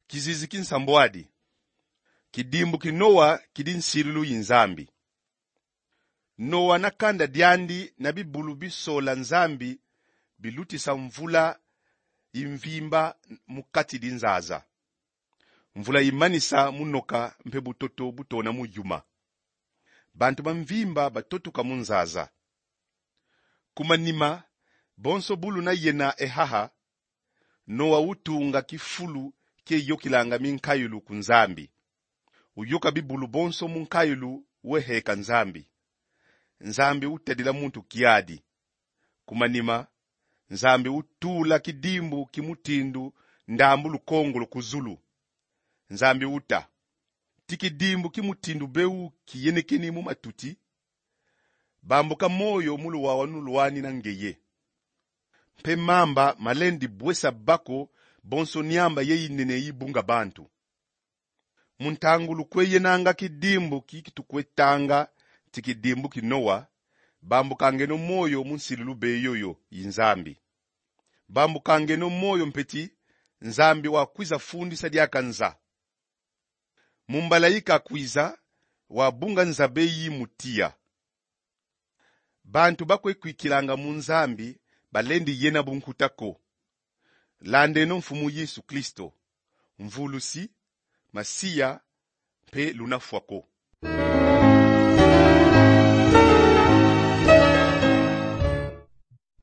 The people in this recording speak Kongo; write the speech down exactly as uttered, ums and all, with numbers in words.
Kizizi ki nsambwadi. Kidimbu ki Noa kidi nsilulu yi Nzambi. Noa na kanda diandi na bibulu bisola Nzambi bilutisa mvula yi mvimba mu kati di nzaza. Mvula imanisa mu noka mpe butoto butona mu yuma. Bantu ba mvimba batotuka mu nzaza. Ku manima, bonso bu luna yena e haha, Noa utunga kifulu kie yokilanga minkayulu ku Nzambi. Uyoka bibulu bonso mu nkayulu, weheka Nzambi. Nzambi utadila muntu kiadi. Ku manima, Nzambi utula kidimbu ki mutindu ndambu lukongolo ku zulu. Nzambi uta: Ti kidimbu ki mutindu beu kiyenekeni mu matuti? Bambuka moyo mu luwawanu lwani na ngeye. Mpe mamba malendi bwesa bako bonso niamba ye yinene yibunga bantu. Mu ntangu lukwe yenanga kidimbu ki tukwe tanga ti kidimbu ki Noa, bambukangeno moyo mu nsilulu be yoyo yi Nzambi. Bambukangeno moyo mpe ti Nzambi wakwiza fundisa diaka nza. Mu mbala yi kakwiza, wabunga nza be yi mu tiya. Bantu bakwe kwikilanga mu Nzambi balendi yena bunkuta ko. Landeno Mfumu Yesu Kristo, Mvulusi, Masiya, mpe luna fwa ko.